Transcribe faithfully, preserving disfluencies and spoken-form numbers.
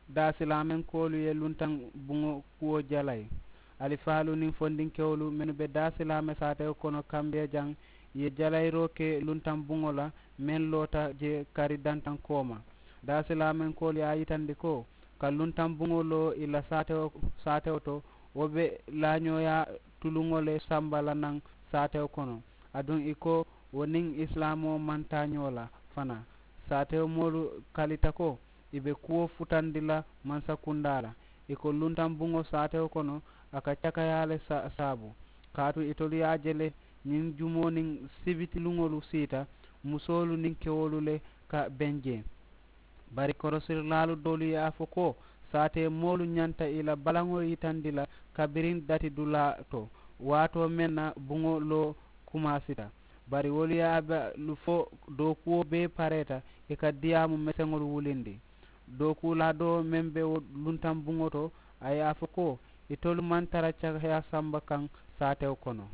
Daasilaamenkoolu ye luntaŋ buŋo kuwo jalayi. Alifaalu niŋ fondinkewolu mennu be daasilaame saatewo kono kambeejaŋ ye jalayiroo ke luntaŋ buŋo la meŋ loota je kari dantaŋ kooma. Daasilaamenkoolu ye a yitandi ko ka luntaŋ buŋo loo ì la saatewo saatewo to wo be laañooyaa tuluŋo le samba la naŋ saatewo kono. Aduŋ ì ko wo niŋ isilaamoo maŋ taa ñoo la fanaa. Saatewo moolu kalita ko ì be kuwo futandi la mansakundaa la. Ì ko luntaŋ buŋo saatewo kono a ka cakayaa le saabu. Kaatu itolu ye a je le ñiŋ jumoo niŋ sibitiluŋolu siita musoolu niŋ kewolu le ka beŋ jee. Bari koroosirilaalu doolu ye a fo ko saatee moolu ñanta ì la balaŋo yitandi la kabiriŋ dati dulaa to waatoo meŋ na buŋo loo kumaasita. Bari wolu ye a be fo dookuwo bee pareeta ì ka diyaamu meseŋolu wulindi. Dookuulaa doo meŋ be wo luntaŋ buŋo to a ye a fo ko itolu maŋ tara cakaya samba kaŋ saatewo kono.